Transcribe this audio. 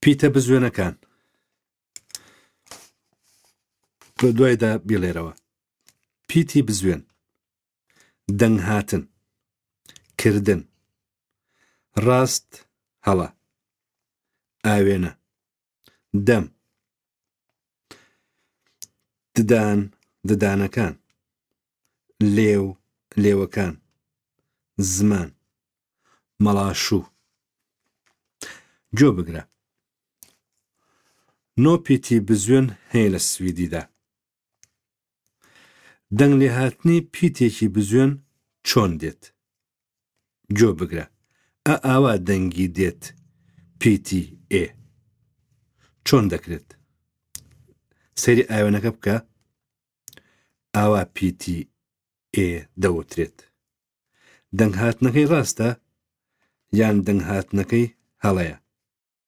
پیتە بزوێنەکان بە دوایدا بیڵێرەوە. پیتی بزوێن، دەنگ هاتن، کردن، ڕاست هەڵە، ئاوێنە، دەم، ددان ددانەکان، لێو لێوەکان، زمان، مەڵاشوو. گوێ بگرە. نۆ پیتی بزوێن هەیە لە سویدیدا. دەنگ لێهاتنی پیتێکی بزوێن چۆن دێت؟ گوێ بگرە. ئا ئاوا دەنگی دێت پیتی ئێ. چۆن دەکرێت؟ سەیری ئاوێنەکە بکە. ئاوا پیتی ئێ دەوترێت. دەنگهاتنەکەی ڕاستە یان دەنگهاتنەکەی هەڵەیە؟